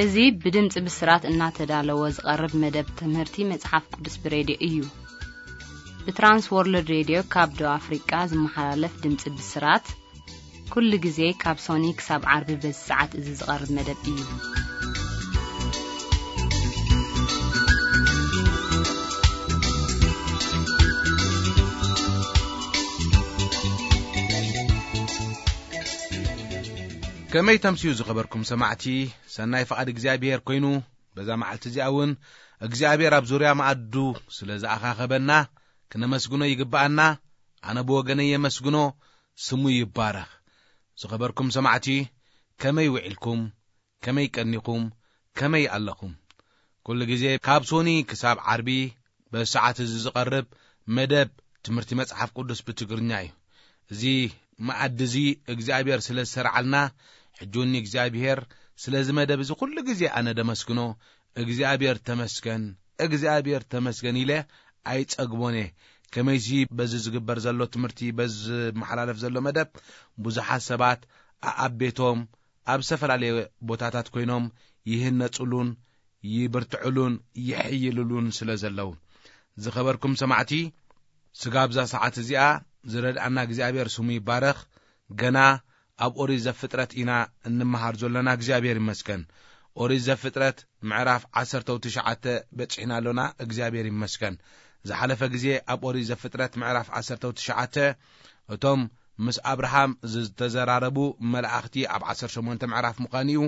እዚ ብድምፂ ብስራት እናተዳለወ ዝቐርብ መደብ ትምህርቲ መጽሓፍ ቅዱስ ብሬድዮ እዩ። ብትራንስ ወርልድ ሬድዮ ካብ ደቡብ ኣፍሪቃ ዝመሓላለፍ ድምፂ ብስራት፣ ኩሉ ግዜ ካብ ሶኒ ክሳብ ዓርቢ በዚ ሰዓት እዚ ዝቐርብ መደብ እዩ። ከመይ ተምስዩ ዝኸበርኩም ሰማዕቲ፣ ሰናይ ፍቓድ እግዚኣብሔር ኮይኑ፣ በዛ መዓልቲ እዚኣ እውን እግዚኣብሔር ኣብ ዙርያ መኣዱ ስለ ዝኣኻኸበና ክነመስግኖ ይግብኣና። ኣነ ብወገነይ የመስግኖ፣ ስሙ ይባረኽ። ዝኸበርኩም ሰማዕቲ፣ ከመይ ውዒልኩም? ከመይ ቀኒኹም? ከመይ ኣለኹም? ኩሉ ግዜ ካብ ሶኒ ክሳብ ዓርቢ በዚ ሰዓት እዚ ዝቐርብ መደብ ትምህርቲ መጽሓፍ ቅዱስ ብትግርኛ እዩ። እዚ መኣዲ እዚ እግዚኣብሔር ስለ ዝሰርዓልና፣ ሕጂ እውን እግዚኣብሔር ስለዚ መደብ እዚ ኩሉ ግዜ ኣነ ደመስግኖ። እግዚኣብሔር ተመስገን፣ እግዚኣብሔር ተመስገን ኢለ ኣይጸግቦን እየ። ከመይሲ በዚ ዝግበር ዘሎ ትምህርቲ፣ በዚ ዝመሓላለፍ ዘሎ መደብ ብዙሓት ሰባት ኣኣብ ቤቶም ኣብ ዝተፈላለየ ቦታታት ኮይኖም ይህነጹሉን ይብርትዕሉን ይሕይልሉን ስለ ዘለዉ። ዝኸበርኩም ሰማዕቲ፣ ስጋብ እዛ ሰዓት እዚኣ ዝረድኣና እግዚኣብሔር ስሙ ይባረኽ። ገና ኣብ ኦሪት ዘፍጥረት ኢና እንመሃር ዘሎና። እግዚኣብሔር ይመስገን። ኦሪት ዘፍጥረት ምዕራፍ ዓሰርተ ትሽዓተ በጺሕና ኣሎና። እግዚኣብሔር ይመስገን። ዝሓለፈ ግዜ ኣብ ኦሪት ዘፍጥረት ምዕራፍ ዓሰርተ ትሽዓተ እቶም ምስ ኣብርሃም ዝተዘራረቡ መላእኽቲ ኣብ ዓሰርተ ሸሞንተ ምዕራፍ ምዃኑ እዩ።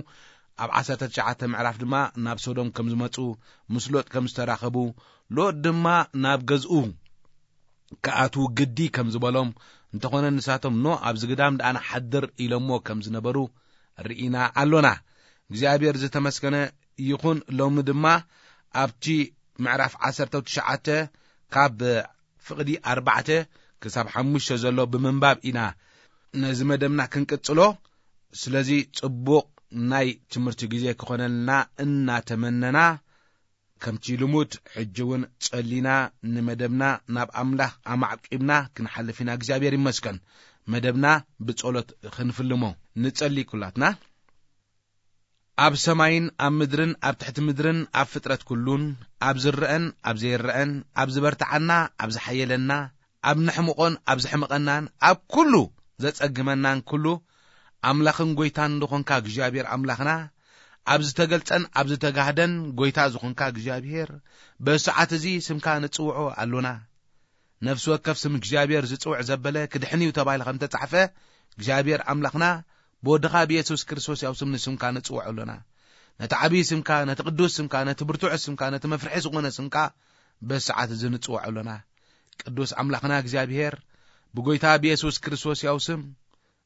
ኣብ ዓሰርተ ትሽዓተ ምዕራፍ ድማ ናብ ሶዶም ከም ዝመጹ፣ ምስ ሎጥ ከም ዝተራኸቡ፣ ሎጥ ድማ ናብ ገዝኡ ክኣትዉ ግዲ ከም ዝበሎም፣ እንተኾነ ንሳቶም ኖ ኣብዚ ግዳም ደኣ ንሓድር ኢሎሞ ከም ዝነበሩ ርኢና ኣሎና። እግዚኣብሔር ዝተመስገነ ይኹን። ሎሚ ድማ ኣብቲ ምዕራፍ ዓሰርተ ትሽዓተ ካብ ፍቕዲ ኣርባዕተ ክሳብ ሓሙሽተ ዘሎ ብምንባብ ኢና ነዚ መደብና ክንቅጽሎ። ስለዚ ጽቡቕ ናይ ትምህርቲ ግዜ ክኾነልና እናተመነና፣ ከምቲ ልሙድ ሕጂ እውን ጸሊና ንመደብና ናብ ኣምላኽ ኣማዕቂብና ክንሓልፍ ኢና። እግዚኣብሔር ይመስገን። መደብና ብጸሎት ክንፍልሞ ንጸሊ ኩላትና። ኣብ ሰማይን ኣብ ምድርን ኣብ ትሕቲ ምድርን ኣብ ፍጥረት ኩሉን፣ ኣብ ዝረአን ኣብ ዘይረአን፣ ኣብ ዝበርትዓና ኣብ ዝሓየለና፣ ኣብ ነሕምቖን ኣብ ዘሕምቐናን፣ ኣብ ኩሉ ዘጸግመናን ኩሉ ኣምላኽን ጐይታን ዝኾንካ እግዚኣብሔር ኣምላኽና፣ ኣብ ዝተገልጸን ኣብ ዝተጋህደን ጐይታ ዝኾንካ እግዚኣብሔር፣ በዚ ሰዓት እዚ ስምካ ንጽውዖ ኣሎና። ነፍሲ ወከፍ ስም እግዚኣብሔር ዝጽውዕ ዘበለ ክድሕን እዩ ተባሂሉ ከም ተጻሕፈ፣ እግዚኣብሔር ኣምላኽና ብወድኻ ብየሱስ ክርስቶስ ያው ስም ንስምካ ንጽውዖ ኣሎና። ነቲ ዓብዪ ስምካ፣ ነቲ ቅዱስ ስምካ፣ ነቲ ብርቱዕ ስምካ፣ ነቲ መፍርሒ ዝኾነ ስምካ በዚ ሰዓት እዚ ንጽውዖ ኣሎና። ቅዱስ ኣምላኽና እግዚኣብሔር፣ ብጐይታ ብየሱስ ክርስቶስ ያው ስም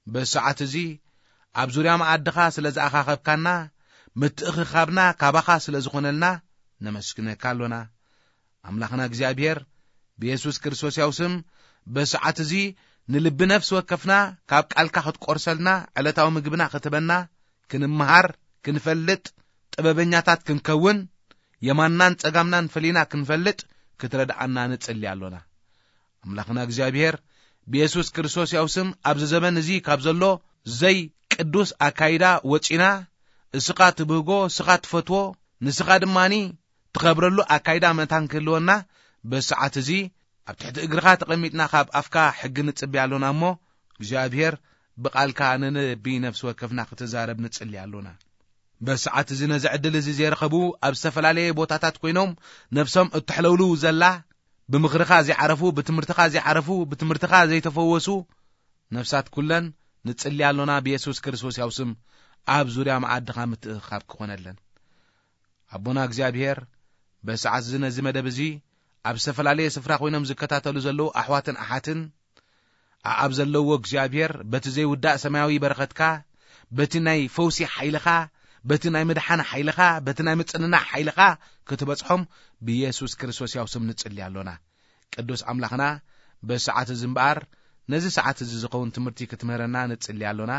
በዚ ሰዓት እዚ ኣብ ዙርያ መኣድኻ ስለ ዝኣኻኸብካና፣ ምትእኽኻብና ካባኻ ስለ ዝኾነልና ነመስግነካ ኣሎና። ኣምላኽና እግዚኣብሔር፣ ብየሱስ ክርስቶስ ያው ስም በዚ ሰዓት እዚ ንልቢ ነፍሲ ወከፍና ካብ ቃልካ ክትቆርሰልና፣ ዕለታዊ ምግብና ክትበና፣ ክንምሃር፣ ክንፈልጥ፣ ጥበበኛታት ክንከውን፣ የማንናን ጸጋምናን ፈሊና ክንፈልጥ ክትረድኣና ንጽሊ ኣሎና። ኣምላኽና እግዚኣብሔር፣ ብየሱስ ክርስቶስ ያው ስም ኣብዚ ዘበን እዚ ካብ ዘሎ ዘይቅዱስ ኣካይዳ ወጺና፣ እስኻ ትብህጎ፣ እስኻ ትፈትዎ፣ ንስኻ ድማኒ ትኸብረሉ ኣካይዳ መታን ክህልወና፣ በዚ ሰዓት እዚ ኣብ ትሕቲ እግርኻ ተቐሚጥና ካብ ኣፍካ ሕጊ ንጽበያ ኣሎና እሞ፣ እግዚኣብሔር ብቓልካ ንነቢ ነፍሲ ወከፍና ክትዛረብ ንጽሊ ኣሎና። በዚ ሰዓት እዚ ነዚ ዕድል እዚ ዘይረኸቡ፣ ኣብ ዝተፈላለየ ቦታታት ኮይኖም ነፍሶም እተሕለውልው ዘላ፣ ብምኽርኻ ዘይዓረፉ፣ ብትምህርትኻ ዘይዓረፉ፣ ብትምህርትኻ ዘይተፈወሱ ነፍሳት ኩለን ንጽሊ ኣሎና። ብየሱስ ክርስቶስ ያው ስም ኣብ ዙርያ መኣድኻ ምትእኽኻብ ክኾነለን። ኣቦና እግዚኣብሔር፣ በዚ ሰዓት እዚ ነዚ መደብ እዚ ኣብ ዝተፈላለየ ስፍራ ኮይኖም ዝከታተሉ ዘለዉ ኣሕዋትን ኣሓትን፣ ኣኣብ ዘለዎ እግዚኣብሔር፣ በቲ ዘይውዳእ ሰማያዊ በረኸትካ፣ በቲ ናይ ፈውሲ ሓይልኻ፣ በቲ ናይ ምድሓን ሓይልኻ፣ በቲ ናይ ምጽንናዕ ሓይልኻ ክትበጽሖም ብየሱስ ክርስቶስ ያው ስም ንጽሊ ኣሎና። ቅዱስ ኣምላኽና፣ በዚ ሰዓት እዚ እምበኣር፣ ነዚ ሰዓት እዚ ዝኸውን ትምህርቲ ክትምህረና ንጽሊ ኣሎና።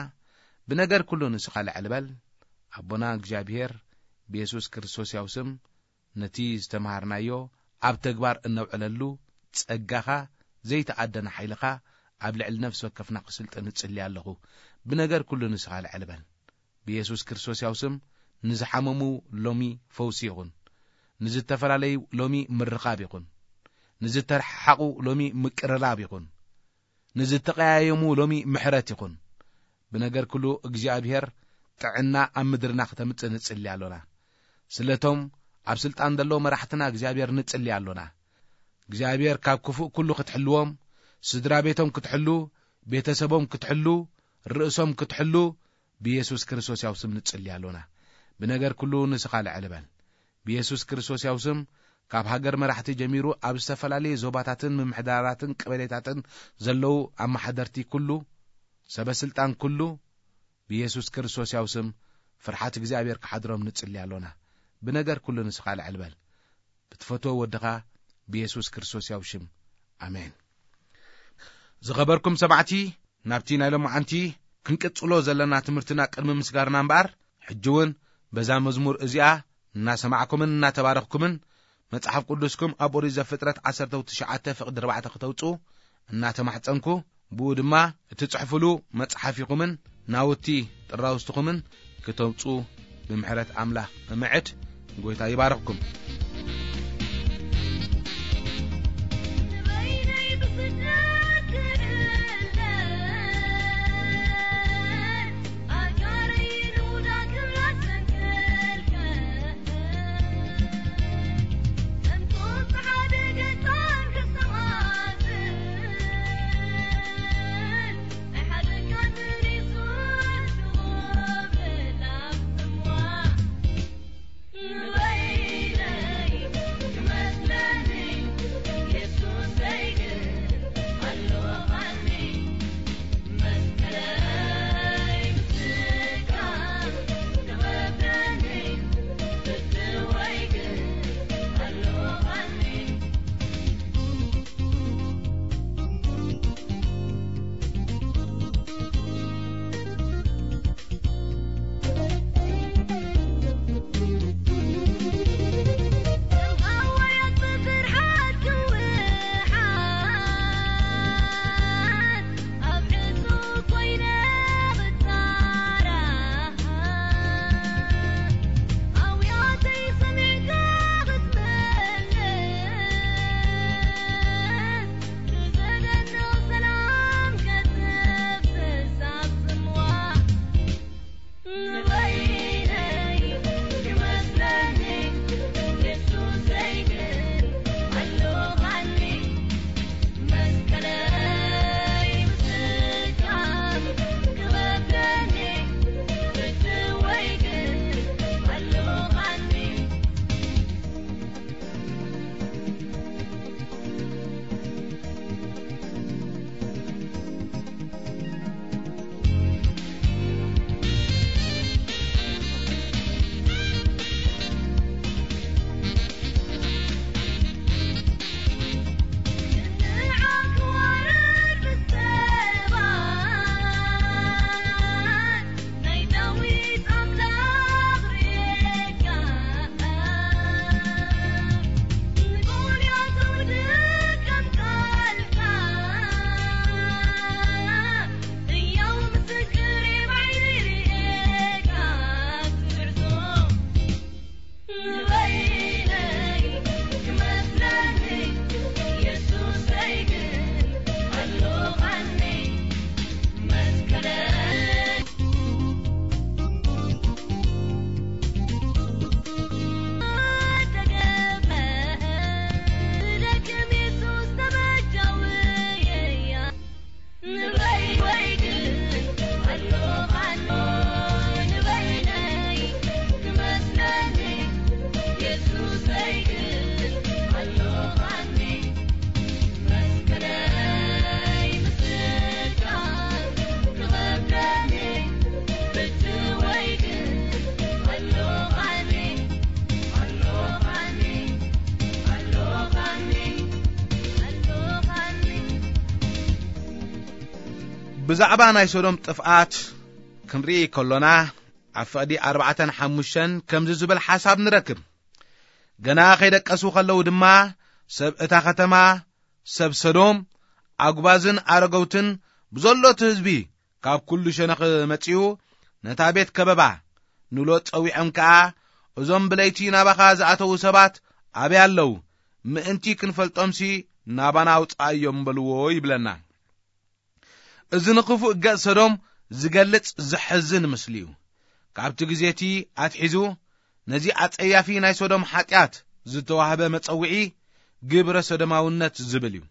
ብነገር ኩሉ ንስኻ ልዕል በል። ኣቦና እግዚኣብሔር፣ ብየሱስ ክርስቶስ ያው ስም፣ ነቲ ዝተምሃርናዮ ኣብ ተግባር እነውዕለሉ ጸጋኻ፣ ዘይተኣደነ ሓይልኻ ኣብ ልዕሊ ነፍሲ ወከፍና ክስልጥን እጽሊ ኣለኹ። ብነገር ኩሉ ንስኻ ልዕል በል። ብየሱስ ክርስቶስ ያው ስም ንዝሓመሙ ሎሚ ፈውሲ ይኹን። ንዝተፈላለዩ ሎሚ ምርኻብ ይኹን። ንዝተረሓሓቑ ሎሚ ምቅርራብ ይኹን። ንዝተቐያየሙ ሎሚ ምሕረት ይኹን። ብነገር ኩሉ እግዚኣብሔር ጥዕና ኣብ ምድርና ክተምጽእ ንጽሊ ኣሎና። ስለቶም ኣብ ስልጣን ዘለዉ መራሕትና እግዚኣብሔር ንጽሊ ኣሎና። እግዚኣብሔር ካብ ክፉእ ኩሉ ክትሕልዎም፣ ስድራ ቤቶም ክትሕሉ፣ ቤተሰቦም ክትሕሉ፣ ርእሶም ክትሕሉ፣ ብየሱስ ክርስቶስ ያው ስም ንጽሊ ኣሎና። ብነገር ኩሉ ንስኻ ልዕል በል። ብየሱስ ክርስቶስ ያው ስም ካብ ሃገር መራሕቲ ጀሚሩ ኣብ ዝተፈላለየ ዞባታትን ምምሕዳራትን ቀበሌታትን ዘለዉ ኣመሓደርቲ ኩሉ፣ ሰበ ስልጣን ኩሉ፣ ብየሱስ ክርስቶስ ያው ስም ፍርሓት እግዚኣብሔር ክሓድሮም ንጽሊ ኣሎና። ብነገር ኩሉ ንስኻ ልዕል በል። ብትፈትዎ ወድኻ ብየሱስ ክርስቶስ ያው ሽም። ኣሜን። ዝኸበርኩም ሰማዕቲ፣ ናብቲ ናይ ሎማዓንቲ ክንቅጽሎ ዘለና ትምህርትና ቅድሚ ምስጋርና እምበኣር፣ ሕጂ እውን በዛ መዝሙር እዚኣ እናሰማዕኩምን እናተባረኽኩምን መጽሓፍ ቅዱስኩም ኣብ ኦሪት ዘፍጥረት ዓሰርተ ትሽዓተ ፍቕዲ ኣርባዕተ ክተውጽኡ እናተማሕጸንኩ፣ ብኡ ድማ እትጽሕፉሉ መጽሓፊኹምን ናውቲ ጥራውስትኹምን ክተውጽኡ ብምሕረት ኣምላኽ እምዕድ። ጎይታ ይባርኽኩም። ብዛዕባ ናይ ሶዶም ጥፍኣት ክንርኢ ከሎና፣ ኣብ ፍቕዲ ኣርባዕተን ሓሙሽተን ከምዚ ዝብል ሓሳብ ንረክብ። ገና ከይደቀሱ ከለዉ ድማ፣ ሰብ እታ ከተማ፣ ሰብ ሰዶም፣ ኣጉባዝን ኣረገውትን ብዘሎ እቲ ህዝቢ ካብ ኩሉ ሸነኽ መጺኡ፣ ነታ ቤት ከበባ፣ ንሎጥ ጸዊዖም ከኣ፣ "እዞም ብለይቲ ናባኻ ዝኣተዉ ሰባት ኣበይ ኣለዉ? ምእንቲ ክንፈልጦምሲ ናባና ኣውጽኣዮም" በልዎ ይብለና። እዚ ንኽፉእ ገጽ ሰዶም ዝገልጽ ዘሕዝን ምስሊ'ዩ። ካብቲ ግዜቲ ኣትሒዙ ነዚ ኣጸያፊ ናይ ሶዶም ሓጢኣት ዝተዋህበ መጸውዒ ግብረ ሰዶማውነት ዝብል እዩ።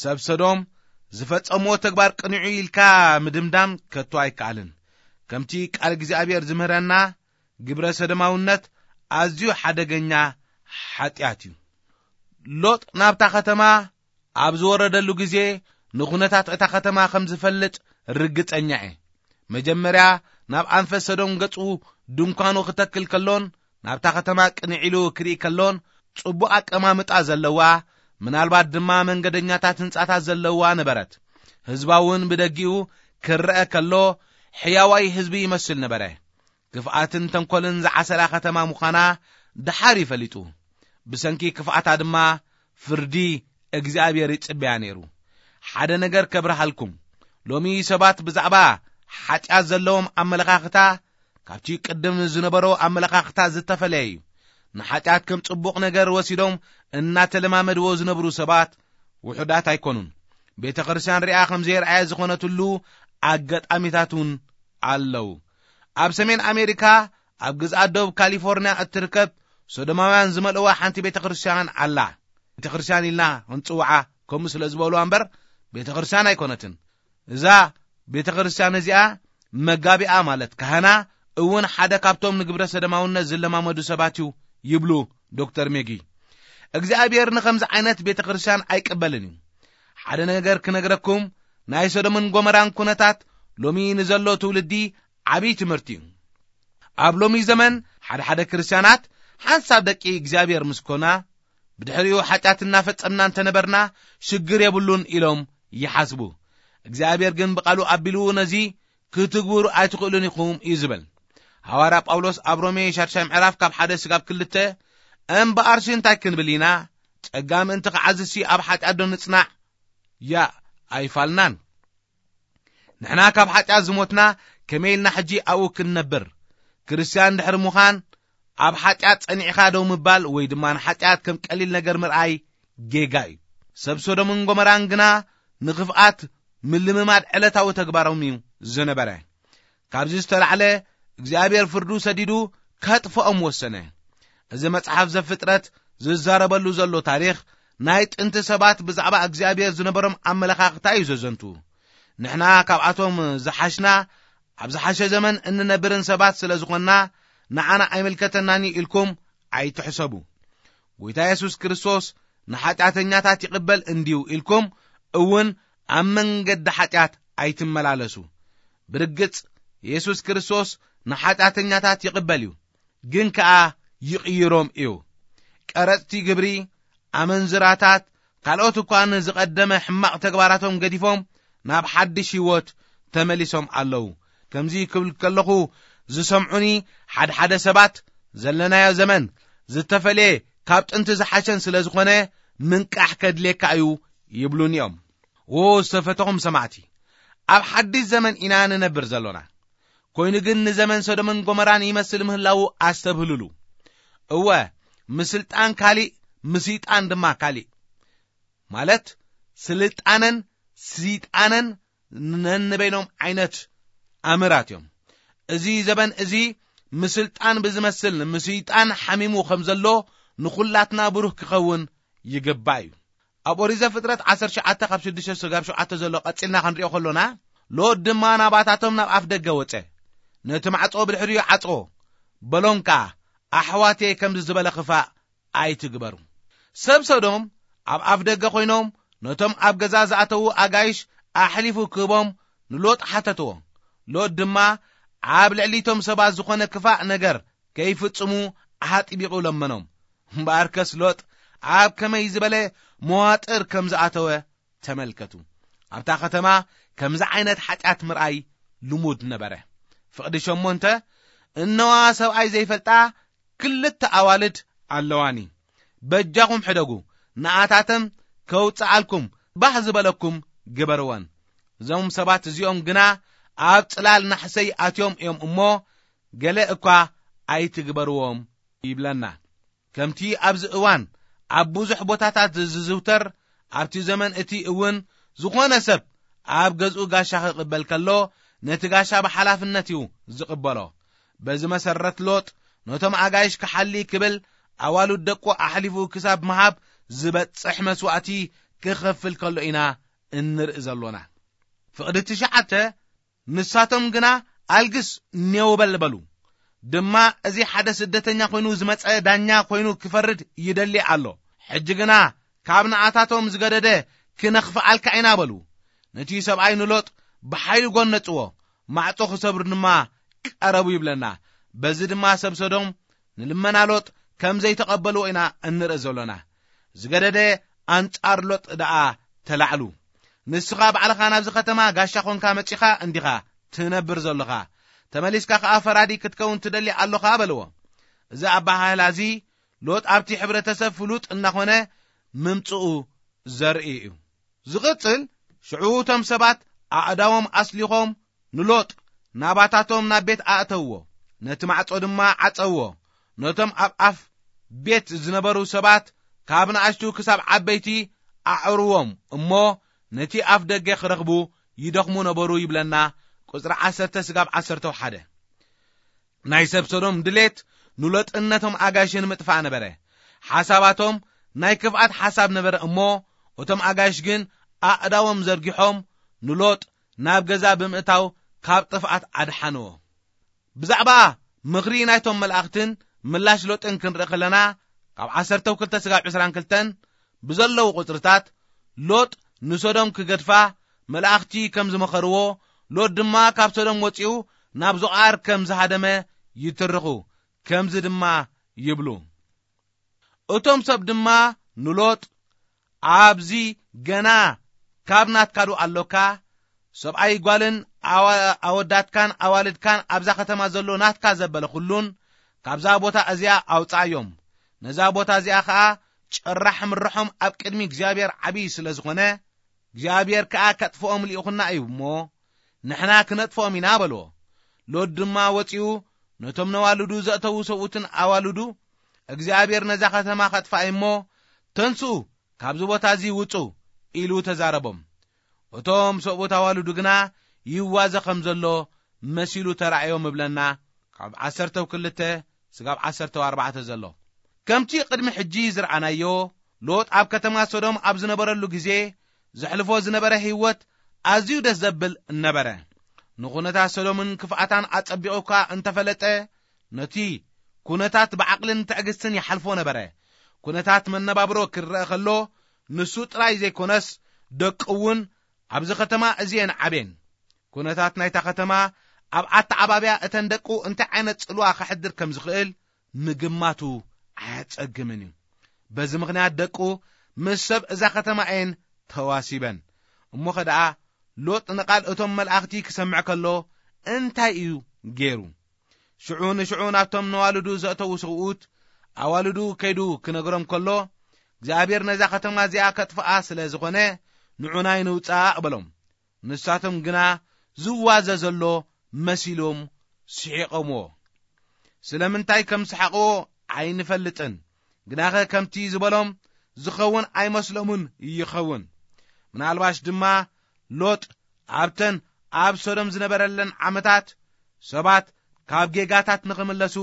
ሰብ ሰዶም ዝፈጸምዎ ተግባር ቅኑዕ ኢልካ ምድምዳም ከቶ ኣይከኣልን። ከምቲ ቃል እግዚኣብሔር ዝምህረና፣ ግብረ ሰዶማውነት ኣዝዩ ሓደገኛ ሓጢኣት እዩ። ሎጥ ናብታ ከተማ ኣብ ዝወረደሉ ግዜ፣ ንኹነታት እታ ከተማ ከም ዝፈልጥ ርግጸኛ እየ። መጀመርያ ናብ ኣንፈት ሰዶም ገጹ ድንኳኑ ክተክል ከሎን ናብታ ከተማ ቅንዕ ኢሉ ክርኢ ከሎን፣ ጽቡቕ ኣቀማምጣ ዘለዋ፣ ምናልባት ድማ መንገደኛታት ህንጻታት ዘለዋ ነበረት። ህዝባ እውን ብደጊኡ ክረአ ከሎ፣ ሕያዋይ ህዝቢ ይመስል ነበረ። ክፍኣትን ተንኮልን ዝዓሰላ ከተማ ምዃና ደሓር ይፈሊጡ። ብሰንኪ ክፍኣታ ድማ ፍርዲ እግዚኣብሔር ይጽበያ ነይሩ። ሓደ ነገር ከብርሃልኩም። ሎሚ ሰባት ብዛዕባ ሓጢኣት ዘለዎም ኣመለኻኽታ ካብቲ ቅድም ዝነበሮ ኣመለኻኽታ ዝተፈለየ እዩ። ንሓጢኣት ከም ጽቡቕ ነገር ወሲዶም እናተለማመድዎ ዝነብሩ ሰባት ውሑዳት ኣይኮኑን። ቤተ ክርስቲያን ሪኣ ከም ዘየርኣየ ዝኾነትሉ ኣጋጣሚታት እውን ኣለዉ። ኣብ ሰሜን ኣሜሪካ፣ ኣብ ግዝኣት ደቡብ ካሊፎርንያ እትርከብ ሶዶማውያን ዝመልእዋ ሓንቲ ቤተ ክርስቲያን ኣላ። ቤተ ክርስቲያን ኢልና ክንጽውዓ ከምኡ ስለ ዝበልዋ እምበር፣ ቤተ ክርስቲያን ኣይኮነትን። እዛ ቤተ ክርስቲያን እዚኣ፣ መጋቢኣ ማለት ካህና እውን ሓደ ካብቶም ንግብረ ሰዶማውነት ዝለማመዱ ሰባት እዩ ይብሉ ዶክተር ሜጊ። እግዚኣብሔር ንኸምዚ ዓይነት ቤተ ክርስቲያን ኣይቅበልን እዩ። ሓደ ነገር ክነግረኩም፣ ናይ ሶዶምን ጎመራን ኩነታት ሎሚ ንዘሎ ትውልዲ ዓብዪ ትምህርቲ እዩ። ኣብ ሎሚ ዘመን ሓደ ሓደ ክርስቲያናት ሓንሳብ ደቂ እግዚኣብሔር ምስ ኮና፣ ብድሕሪኡ ሓጢኣት እናፈጸምና እንተነበርና ሽግር የብሉን ኢሎም ይሓስቡ። እግዚኣብሔር ግን ብቓሉ ኣቢሉ ነዚ ክትግብሩ ኣይትኽእሉን ኢኹም እዩ ዝብል። ሃዋርያ ጳውሎስ ኣብ ሮሜ ሻድሻይ ምዕራፍ ካብ ሓደ ስጋብ ክልተ፣ "እምበኣርሲ እንታይ ክንብል ኢና? ጸጋ ምእንቲ ክዓዝሲ ኣብ ሓጢኣት ዶ ንጽናዕ? ያ ኣይፋልናን። ንሕና ካብ ሓጢኣት ዝሞትና ከመይ ኢልና ሕጂ ኣብኡ ክንነብር? ክርስትያን ድሕሪ ምዃን ኣብ ሓጢኣት ጸኒዕኻ ደው ምባል ወይ ድማ ንሓጢኣት ከም ቀሊል ነገር ምርኣይ ጌጋ እዩ። ሰብ ሶዶምን ጎመራን ግና ንኽፍኣት ምልምማድ ዕለታዊ ተግባሮም እዩ ዝነበረ። ካብዚ ዝተላዕለ እግዚኣብሔር ፍርዱ ሰዲዱ ከጥፍኦም ወሰነ። እዚ መጽሓፍ ዘፍጥረት ዝዛረበሉ ዘሎ ታሪኽ ናይ ጥንቲ ሰባት ብዛዕባ እግዚኣብሔር ዝነበሮም ኣመለኻኽታ እዩ ዘዘንቱ። ንሕና ካብኣቶም ዝሓሽና ኣብ ዝሓሸ ዘመን እንነብርን ሰባት ስለ ዝኾንና ንዓና ኣይምልከተናን እዩ ኢልኩም ኣይትሕሰቡ። ጎይታ የሱስ ክርስቶስ ንሓጢኣተኛታት ይቕበል እንድዩ ኢልኩም እውን ኣብ መንገዲ ሓጢኣት ኣይትመላለሱ። ብርግጽ የሱስ ክርስቶስ ንሓጢኣተኛታት ይቕበል እዩ፣ ግን ከኣ ይቕይሮም እዩ። ቀረጽቲ ግብሪ፣ ኣመንዝራታት፣ ካልኦት እኳ ንዝቐደመ ሕማቕ ተግባራቶም ገዲፎም ናብ ሓድሽ ህይወት ተመሊሶም ኣለዉ። ከምዚ ክብል ከለኹ ዝሰምዑኒ ሓድሓደ ሰባት፣ ዘለናዮ ዘመን ዝተፈልየ ካብ ጥንቲ ዝሓሸን ስለ ዝኾነ ምንቃሕ ከድልየካ እዩ ይብሉኒ እዮም። ዎ ዝተፈተኹም ሰማዕቲ፣ ኣብ ሓድሽ ዘመን ኢና ንነብር ዘሎና። ኮይኑ ግን ንዘመን ሶዶምን ጎመራን ይመስል ምህላዉ ኣስተብህሉሉ። እወ፣ ምስልጣን ካሊእ፣ ምስይጣን ድማ ካሊእ። ማለት ስልጣነን ስይጣነን ነንበይኖም ዓይነት ኣምራት እዮም። እዚ ዘበን እዚ ምስልጣን ብዝመስል ምስይጣን ሓሚሙ ከም ዘሎ ንኹላትና ብሩህ ክኸውን ይግባእ እዩ። ኣብ ኦሪት ዘፍጥረት ዓሰርተ ትሽዓተ ካብ ሽዱሽተ ስጋብ ሸውዓተ ዘሎ ቀጺልና ክንሪኦ ከሎና፣ ሎጥ ድማ ናባታቶም ናብ ኣፍ ደገ ወጸ። ነቲ ማዕጾ ብድሕሪኡ ዓጽዎ። በሎም ከኣ፣ "ኣሕዋተይ ከምዚ ዝበለ ክፋእ ኣይትግበሩ። ሰብ ሰዶም ኣብ ኣፍ ደገ ኮይኖም ነቶም ኣብ ገዛ ዝኣተዉ ኣጋይሽ ኣሕሊፉ ክህቦም ንሎጥ ሓተትዎ። ሎጥ ድማ ኣብ ልዕሊቶም ሰባት ዝኾነ ክፋእ ነገር ከይፍጽሙ ኣጥቢቑ ለመኖም። እምበኣርከስ ሎጥ ኣብ ከመይ ዝበለ መዋጥር ከም ዝኣተወ ተመልከቱ። ኣብታ ከተማ ከምዚ ዓይነት ሓጢኣት ምርኣይ ልሙድ ነበረ። ፍቕዲ ሸሞንተ፣ እነዋ ሰብኣይ ዘይፈልጣ ክልተ ኣዋልድ ኣለዋኒ። በጃኹም ሕደጉ፣ ንኣታተን ከውጽኣልኩም ባህ ዝበለኩም ግበርወን። እዞም ሰባት እዚኦም ግና ኣብ ጽላል ናሕሰይ ኣትዮም እዮም እሞ፣ ገለ እኳ ኣይትግበርዎም ይብለና። ከምቲ ኣብዚ እዋን ኣብ ብዙሕ ቦታታት ዝዝውተር፣ ኣብቲ ዘመን እቲ እውን ዝኾነ ሰብ ኣብ ገዝኡ ጋሻ ክቕበል ከሎ፣ ነቲ ጋሻ ብሓላፍነት እዩ ዝቕበሎ። በዚ መሰረት ሎጥ ነቶም ኣጋይሽ ክሓሊ ክብል ኣዋልድ ደቁ ኣሕሊፉ ክሳብ ምሃብ ዝበጽሕ መስዋእቲ ክኸፍል ከሎ ኢና እንርኢ ዘሎና። ፍቕዲ ትሽዓተ፣ ንሳቶም ግና ኣልግስ ኔው በል በሉ። ድማ እዚ ሓደ ስደተኛ ኮይኑ ዝመጸ ዳኛ ኮይኑ ክፈርድ ይደሊ ኣሎ። ሕጂ ግና ካብ ንኣታቶም ዝገደደ ክነኽፍኣልካ ኢና በሉ። ነቲ ሰብኣይ ንሎጥ ብሓይሊ ጎነጽዎ፣ ማዕጾ ክሰብሩ ድማ ቀረቡ ይብለና። በዚ ድማ ሰብ ሰዶም ንልመና ሎጥ ከም ዘይተቐበልዎ ኢና እንርኢ ዘሎና። ዝገደደ ኣንጻር ሎጥ ደኣ ተላዕሉ። ንስኻ ባዕልኻ ናብዚ ከተማ ጋሻ ኾንካ መጺኻ እንዲኻ ትነብር ዘሎኻ። ተመሊስካ ኸኣ ፈራዲ ክትከውን ትደሊ ኣሎኻ በልዎ። እዚ ኣበሃህላ እዚ ሎጥ ኣብቲ ሕብረተሰብ ፍሉጥ እናኾነ ምምጽኡ ዘርኢ እዩ። ዝቕጽል፣ ሽዑ እቶም ሰባት ኣእዳዎም ኣስሊኾም ንሎጥ ናባታቶም ናብ ቤት ኣእተውዎ፣ ነቲ ማዕጾ ድማ ዓጸውዎ። ነቶም ኣብ ኣፍ ቤት ዝነበሩ ሰባት ካብ ንኣሽቱ ክሳብ ዓበይቲ ኣዕርዎም እሞ ነቲ ኣፍ ደገ ክረኽቡ ይደኽሙ ነበሩ ይብለና። ቁጽሪ ዓሰርተ ስጋብ ዓሰርተ ሓደ። ናይ ሰብ ሰዶም ድሌት ንሎጥን ነቶም ኣጋይሽን ምጥፋእ ነበረ። ሓሳባቶም ናይ ክፍኣት ሓሳብ ነበረ እሞ እቶም ኣጋይሽ ግን ኣእዳዎም ዘርጊሖም ንሎጥ ናብ ገዛ ብምእታው ካብ ጥፍኣት ኣድሓንዎ። ብዛዕባ ምኽሪ ናይቶም መላእኽትን ምላሽ ሎጥን ክንርኢ ከለና፣ ካብ ዓሰርተ ክልተ ስጋብ ዕስራን ክልተን ብዘለዉ ቁጽርታት፣ ሎጥ ንሶዶም ክገድፋ መላእኽቲ ከም ዝመኸርዎ፣ ሎጥ ድማ ካብ ሶዶም ወጺኡ ናብ ዞኣር ከም ዝሃደመ ይትርኹ። ከምዚ ድማ ይብሉ። እቶም ሰብ ድማ ንሎጥ፣ ኣብዚ ገና ካብ ናትካዱ ኣሎካ፣ ሰብኣይ ጓልን ኣዋ-፣ ኣወዳትካን ኣዋልድካን ኣብዛ ከተማ ዘሎ ናትካ ዘበለ ኩሉን ካብዛ ቦታ እዚኣ ኣውጻእዮም። ነዛ ቦታ እዚኣ ኸኣ ጭራሕ ምርሖም ኣብ ቅድሚ እግዚኣብሔር ዓብዪ ስለ ዝኾነ፣ እግዚኣብሔር ከኣ ከጥፍኦም ልኢኹና እዩ እሞ፣ ንሕና ክነጥፍኦም ኢና በልዎ። ሎጥ ድማ ወጺኡ ነቶም ነዋልዱ ዘእተዉ ሰብኡትን ኣዋልዱ፣ እግዚኣብሔር ነዛ ከተማ ከጥፍኣ እዩ እሞ፣ ተንስኡ፣ ካብዚ ቦታ እዚ ውጹ፣ ኢሉ ተዛረቦም። እቶም ሰብኡት ኣዋልዱ ግና ይዋዘ ከም ዘሎ መሲሉ ተራእዮም እብለና፣ ካብ ዓሰርተ ክልተ ስጋብ ዓሰርተ ኣርባዕተ ዘሎ። ከምቲ ቅድሚ ሕጂ ዝረኣናዮ፣ ሎጥ ኣብ ከተማ ሶዶም ኣብ ዝነበረሉ ግዜ ዘሕልፎ ዝነበረ ህይወት ኣዝዩ ደስ ዘብል ነበረ። ንኹነታት ሶዶምን ክፍኣታን ኣጸቢቑ እኳ እንተፈለጠ፣ ነቲ ኩነታት ብዓቕልን ትዕግስትን ይሓልፎ ነበረ። ኩነታት መነባብሮ ክረአ ከሎ፣ ንሱ ጥራይ ዘይኮነስ፣ ደቁ እውን ኣብዚ ከተማ እዚ እየን ዓብየን። ኩነታት ናይታ ከተማ ኣብ ኣተዓባብያ እተን ደቁ እንታይ ዓይነት ጽልዋ ከሕድር ከም ዝኽእል ምግማቱ ኣያጸግምን እዩ። በዚ ምኽንያት ደቁ ምስ ሰብ እዛ ከተማ እየን ተዋሲበን። እሞኸ ደኣ ሎጥ ንቓል እቶም መላእኽቲ ክሰምዕ ከሎ እንታይ እዩ ገይሩ? ሽዑ ንሽዑ ናብቶም ነዋልዱ ዘእተዉ ሰብኡት ኣዋልዱ ከይዱ ክነግሮም ከሎ፣ እግዚኣብሔር ነዛ ከተማ እዚኣ ከጥፍኣ ስለ ዝኾነ፣ ንዑናይ ንውጻእ በሎም። ንሳቶም ግና ዝዋዘ ዘሎ መሲሎም ስሒቖምዎ። ስለምንታይ ከም ሰሓቕዎ ኣይንፈልጥን፣ ግናኸ ከምቲ ዝበሎም ዝኸውን ኣይመስሎምን ይኸውን። ምናልባሽ ድማ ሎጥ ኣብተን ኣብ ሶዶም ዝነበረለን ዓመታት ሰባት ካብ ጌጋታት ንኽምለሱ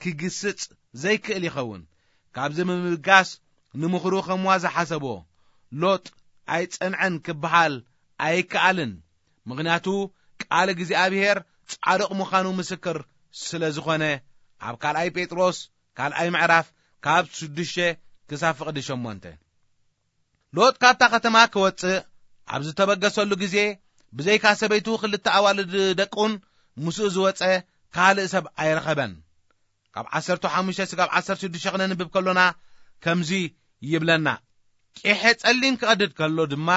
ክግስጽ ዘይክእል ይኸውን። ካብዚ ብምብጋስ ንምኽሩ ከም ዋዛ ሓሰቦ። ሎጥ ኣይጸንዐን ክበሃል ኣይከኣልን። ምኽንያቱ ቃል እግዚኣብሔር ጻድቕ ምዃኑ ምስክር ስለ ዝኾነ፣ ኣብ ካልኣይ ጴጥሮስ ካልኣይ ምዕራፍ ካብ ሽዱሽተ ክሳብ ፍቕዲ ሸሞንተ። ሎጥ ካብታ ከተማ ክወጽእ ኣብ ዝተበገሰሉ ግዜ፣ ብዘይካ ሰበይቱ ክልተ ኣዋልድ ደቁን ምስኡ ዝወጸ ካልእ ሰብ ኣይረኸበን። ካብ ዓሰርተ ሓሙሽተ ስጋብ ዓሰርተ ሽዱሽተ ክነንብብ ከሎና ከምዚ ይብለና። ቄሐ ጸሊም ክቐድድ ከሎ ድማ፣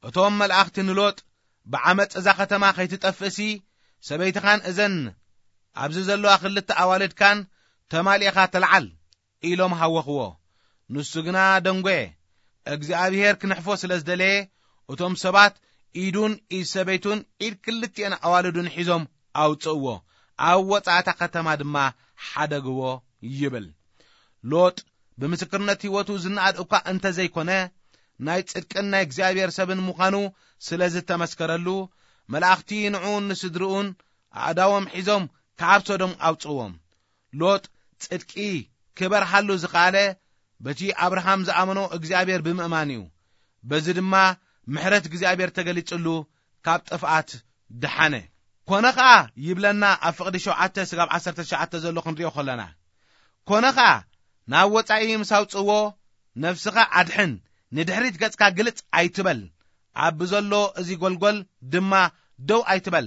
እቶም መላእኽቲ ንሎጥ፣ "ብዓመጽ እዛ ከተማ ከይትጠፍእሲ፣ ሰበይትኻን እዘን ኣብዚ ዘለዋ ክልተ ኣዋልድካን ተማሊእኻ ተልዓል" ኢሎም ሃወኽዎ። ንሱ ግና ደንጎየ። እግዚኣብሔር ክንሕፎ ስለ ዝደለየ፣ እቶም ሰባት ኢዱን ኢድ ሰበይቱን ኢድ ክልቲኤን ኣዋልዱን ሒዞም ኣውጽእዎ። ኣብ ወጻእታ ከተማ ድማ ሓደግዎ ይብል። ሎጥ ብምስክርነት ህይወቱ ዝነኣድ እኳ እንተዘይኮነ፣ ናይ ጽድቅን ናይ እግዚኣብሔር ሰብን ምዃኑ ስለ ዝተመስከረሉ፣ መላእኽቲ ንዕኡን ንስድርኡን ኣእዳዎም ሒዞም ካብ ሶዶም ኣውጽእዎም። ሎጥ ጽድቂ ክበርሃሉ ዝኸኣለ በቲ ኣብርሃም ዝኣመኖ እግዚኣብሔር ብምእማን እዩ። በዚ ድማ ምሕረት እግዚኣብሔር ተገሊጽሉ ካብ ጥፍኣት ደሓነ። ኮነ ኸኣ ይብለና ኣብ ፍቕዲ ሸውዓተ ስጋብ ዓሰርተ ትሽዓተ ዘሎ ክንሪኦ ከለና፣ ኮነ ኸኣ ናብ ወጻኢ ምስ ኣውጽእዎ፣ ነፍስኻ ኣድሕን፣ ንድሕሪት ገጽካ ግልጽ ኣይትበል፣ ኣብ ብዘሎ እዚ ጎልጎል ድማ ደው ኣይትበል፣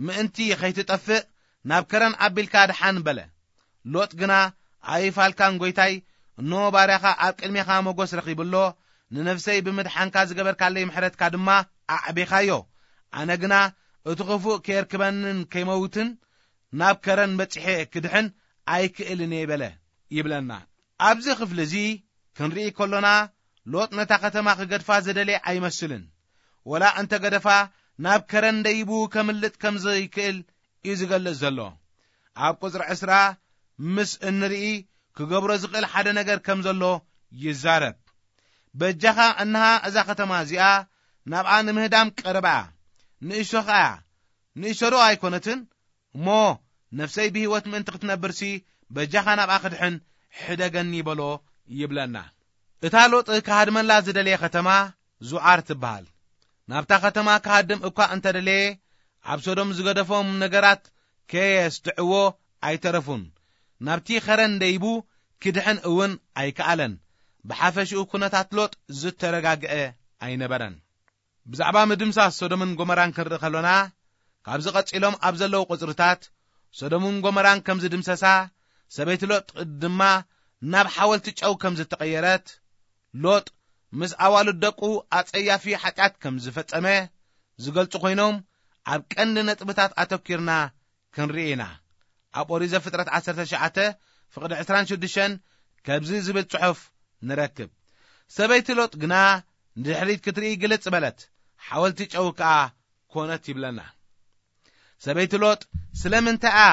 ምእንቲ ኸይትጠፍእ ናብ ከረን ኣቢልካ ድሓን በለ። ሎጥ ግና፣ ኣይፋልካን ጐይታይ፣ እንሆ ባርያኻ ኣብ ቅድሜኻ ሞገስ ረኺቡ ኣሎ፣ ንነፍሰይ ብምድሓንካ ዝገበርካለይ ምሕረትካ ድማ ኣዕቢኻዮ። ኣነ ግና እቲ ኽፉእ ከየርክበንን ከይመውትን ናብ ከረን በጺሐ ክድሕን ኣይክእልን እየ በለ ይብለና። ኣብዚ ክፍሊ እዚ ክንርኢ ከሎና፣ ሎጥ ነታ ከተማ ክገድፋ ዝደለየ ኣይመስልን። ወላ እንተ ገደፋ፣ ናብ ከረን ደይቡ ከምልጥ ከም ዘይክእል እዩ ዝገልጽ ዘሎ። ኣብ ቁጽሪ ዕስራ ምስ እንርኢ፣ ክገብሮ ዝኽእል ሓደ ነገር ከም ዘሎ ይዛረብ። በጃኻ፣ እንሃ እዛ ከተማ እዚኣ ናብኣ ንምህዳም ቀረባ እያ። ንእሽቶ ኸኣ እያ። ንእሽቶ ዶ ኣይኮነትን? እሞ ነፍሰይ ብህይወት ምእንቲ ክትነብርሲ፣ በጃኻ ናብኣ ክድሕን ሕደገኒ በሎ ይብለና። እታ ሎጥ ክሃድመላ ዝደለየ ከተማ ዙዓር ትበሃል። ናብታ ከተማ ክሃድም እኳ እንተደለየ፣ ኣብ ሶዶም ዝገደፎም ነገራት ከየስትዕዎ ኣይተረፉን። ናብቲ ኸረን ደይቡ ክድሕን እውን ኣይከኣለን። ብሓፈሽኡ ኩነታት ሎጥ ዝተረጋግአ ኣይነበረን። ብዛዕባ ምድምሳስ ሶዶምን ጎመራን ክንርኢ ከሎና፣ ካብዚ ቀጺሎም ኣብ ዘለዉ ቁጽርታት፣ ሶዶምን ጎመራን ከም ዝድምሰሳ፣ ሰበይቲ ሎጥ ድማ ናብ ሓወልቲ ጨው ከም ዝተቐየረት፣ ሎጥ ምስ ኣዋልድ ደቁ ኣጸያፊ ሓጢኣት ከም ዝፈጸመ ዝገልጹ ኮይኖም፣ ኣብ ቀንዲ ነጥብታት ኣተኲርና ክንርኢ ኢና። ኣብ ኦሪት ዘፍጥረት ዓሰርተ ትሽዓተ ፍቕዲ ዕስራን ሽዱሽተን ከምዚ ዝብል ጽሑፍ ንረክብ። ሰበይቲ ሎጥ ግና ንድሕሪት ክትርኢ ግልጽ በለት፣ ሓወልቲ ጨው ከኣ ኮነት ይብለና። ሰበይቲ ሎጥ ስለምንታይ እያ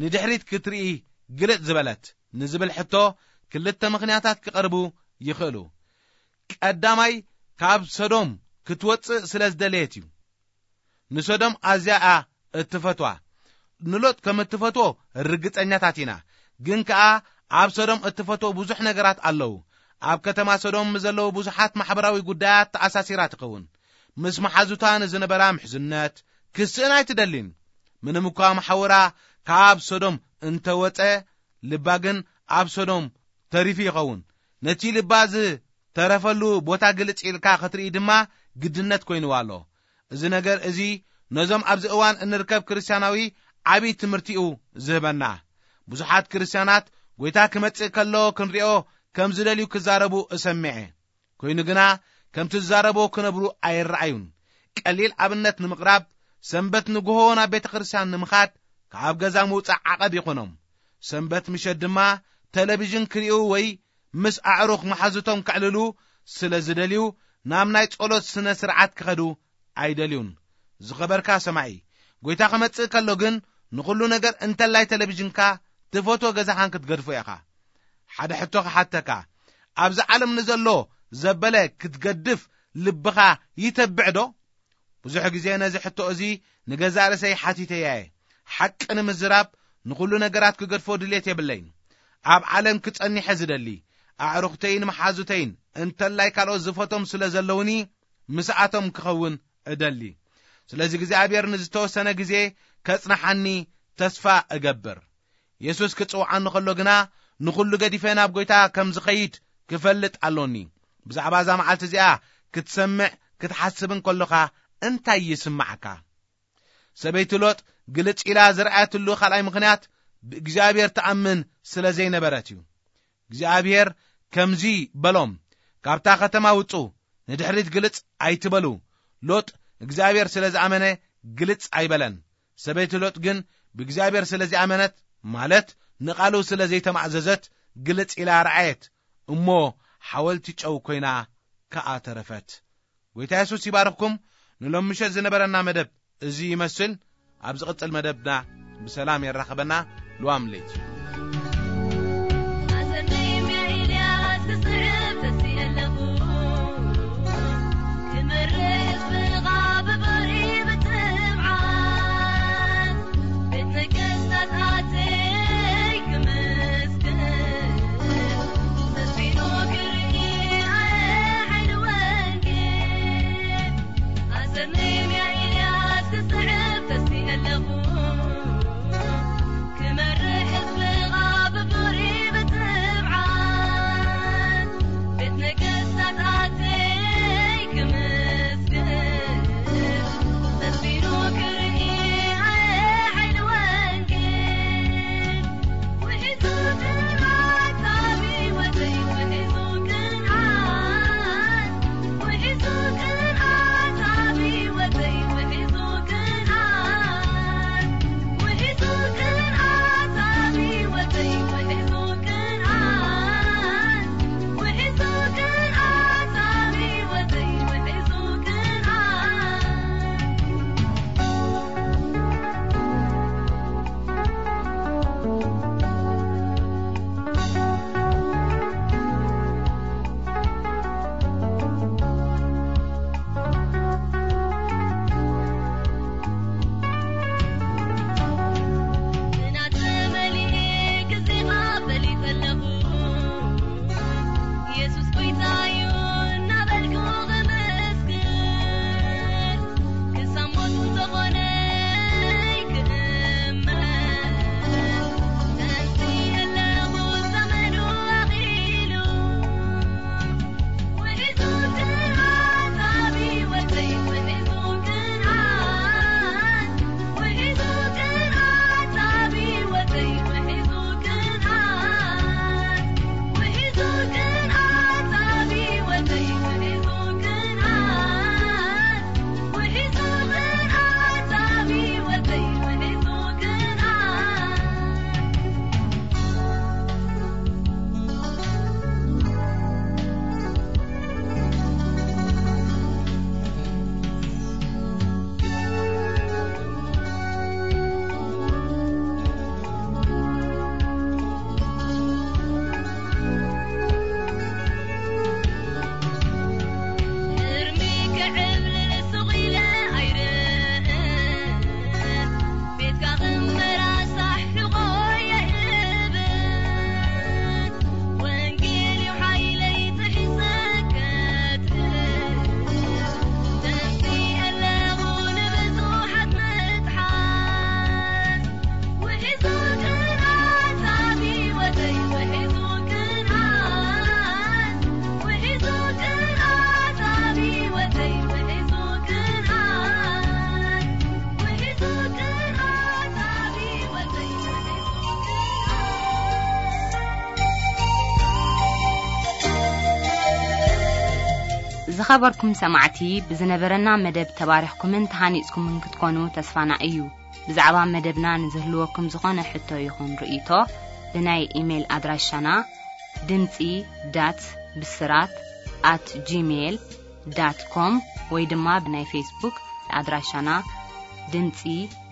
ንድሕሪት ክትርኢ ግልጽ ዝበለት ንዝብል ሕቶ ክልተ ምኽንያታት ክቐርቡ ይኽእሉ። ቀዳማይ፣ ካብ ሰዶም ክትወጽእ ስለ ዝደለየት እዩ። ንሰዶም ኣዝያ እያ እትፈትዋ። ንሎጥ ከም እትፈትዎ ርግጸኛታት ኢና። ግን ከኣ ኣብ ሰዶም እትፈትዎ ብዙሕ ነገራት ኣለዉ። ኣብ ከተማ ሰዶም ምስ ዘለዉ ብዙሓት ማሕበራዊ ጉዳያት ተኣሳሲራ ትኸውን። ምስ መሓዙታ ንዝነበራ ምሕዝነት ክስእን ኣይትደልን። ምንም እኳ መሓውራ ካብ ሰዶም እንተወጸ፣ ልባ ግን ኣብ ሰዶም ተሪፉ ይኸውን። ነቲ ልባ ዝተረፈሉ ቦታ ግልጽ ኢልካ ክትርኢ ድማ ግድነት ኮይንዋ ኣሎ። እዚ ነገር እዚ ነዞም ኣብዚ እዋን እንርከብ ክርስትያናዊ ዓቢ ትምህርቲ እዩ ዝህበና። ብዙሓት ክርስትያናት ጐይታ ክመጽእ ከሎ ክንሪኦ ከም ዝደልዩ ክዛረቡ እሰምዐ። ኮይኑ ግና ከምቲ ዝዛረብዎ ክነብሩ ኣይረኣዩን። ቀሊል ኣብነት ንምቕራብ፣ ሰንበት ንግሆ ናብ ቤተ ክርስትያን ንምኻድ ካብ ገዛ ምውጻእ ዓቐብ ይኾኖም። ሰንበት ምሸት ድማ ተለቪዥን ክርእዩ ወይ ምስ ኣዕሩኽ መሓዙቶም ከዕልሉ ስለ ዝደልዩ ናብ ናይ ጸሎት ስነ ስርዓት ክኸዱ ኣይደልዩን። ዝኸበርካ ሰማዒ፣ ጐይታ ክመጽእ ከሎ ግን ንኹሉ ነገር እንተላይ ተለቪዥንካ ትፈትዎ ገዛኻን ክትገድፎ ኢኻ። ሓደ ሕቶ ክሓተካ፣ ኣብዚ ዓለም ንዘሎ ዘበለ ክትገድፍ ልብኻ ይተብዕ ዶ? ብዙሕ ግዜ ነዚ ሕቶ እዚ ንገዛእ ርእሰይ ሓቲተያ እየ። ሓቂ ንምዝራብ ንኹሉ ነገራት ክገድፎ ድሌት የብለይን። ኣብ ዓለም ክጸኒሐ ዝደሊ፣ ኣዕሩኽተይን መሓዙተይን እንተላይ ካልኦት ዝፈቶም ስለ ዘለውኒ ምስኣቶም ክኸውን እደሊ። ስለዚ እግዚኣብሔር ንዝተወሰነ ግዜ ከጽንሓኒ ተስፋ እገብር። የሱስ ክጽውዓኒ ከሎ ግና ንኹሉ ገዲፈ ናብ ጐይታ ከም ዝኸይድ ክፈልጥ ኣሎኒ። ብዛዕባ እዛ መዓልቲ እዚኣ ክትሰምዕ ክትሓስብን ከሎኻ እንታይ ይስምዓካ? ሰበይቲ ሎጥ ግልጽ ኢላ ዝረኣየትሉ ካልኣይ ምኽንያት ብእግዚኣብሔር ትኣምን ስለ ዘይነበረት እዩ። እግዚኣብሔር ከምዚ በሎም፣ "ካብታ ከተማ ውጹ፣ ንድሕሪት ግልጽ ኣይትበሉ።" ሎጥ እግዚኣብሔር ስለ ዝኣመነ ግልጽ ኣይበለን። ሰበይቲ ሎጥ ግን ብእግዚኣብሔር ስለ ዝኣመነት፣ ማለት ንቓሉ ስለ ዘይተማእዘዘት፣ ግልጽ ኢላ ረኣየት፣ እሞ ሓወልቲ ጨው ኮይና ከኣ ተረፈት። ጐይታ የሱስ ይባርኽኩም። ንሎም ምሸት ዝነበረና መደብ እዚ ይመስል። ኣብ ዝቕጽል መደብና ብሰላም የራኽበና። ሉዋም ለይቲ። ኣሰነይ ሚያ ኤልያስ ክስዕብ ተስየ ኣለኹ። ክመርሕ ህዝብኻ ብፍቕሪ ብትብዓት። ቤት ነገስታት ኣተይ ክመስክር። ተስፊኑ ክርኢ ኣየ ሓይሊ ወንጌል። ኣሰነይ ሚያ ኤልያስ ክስዕብ ተስየ ኣለኹ። ክመርሕ ህዝብኻ ብፍቕሪ ብትብዓት። ቤት ነገስታት ኣተይ ክመስክር። ተስፊኑ ክርኢ ኣየ ሓይሊ ወንጌል። ዝኸበርኩም ሰማዕቲ፣ ብዝነበረና መደብ ተባሪኽኩምን ተሃኒጽኩምን ክትኮኑ ተስፋና እዩ። ብዛዕባ መደብና ንዝህልወኩም ዝኾነ ሕቶ ይኹን ርእይቶ፣ ብናይ ኢሜይል ኣድራሻና ድምጺ ዳት ብስራት ኣት ጂሜይል ዳት ኮም ወይ ድማ ብናይ ፌስቡክ ኣድራሻና ድምጺ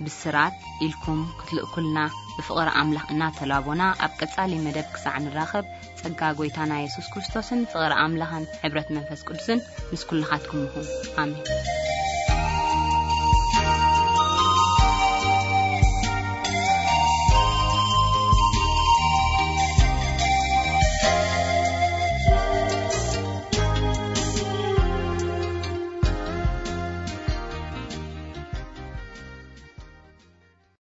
ብስራት ኢልኩም ክትልእኩልና ብፍቕሪ ኣምላኽ እናተላቦና፣ ኣብ ቀጻሊ መደብ ክሳዕ ንራኸብ፣ ጸጋ ጐይታና የሱስ ክርስቶስን ፍቕሪ ኣምላኽን ሕብረት መንፈስ ቅዱስን ምስ ኩልኻትኩም ይኹን። ኣሜን።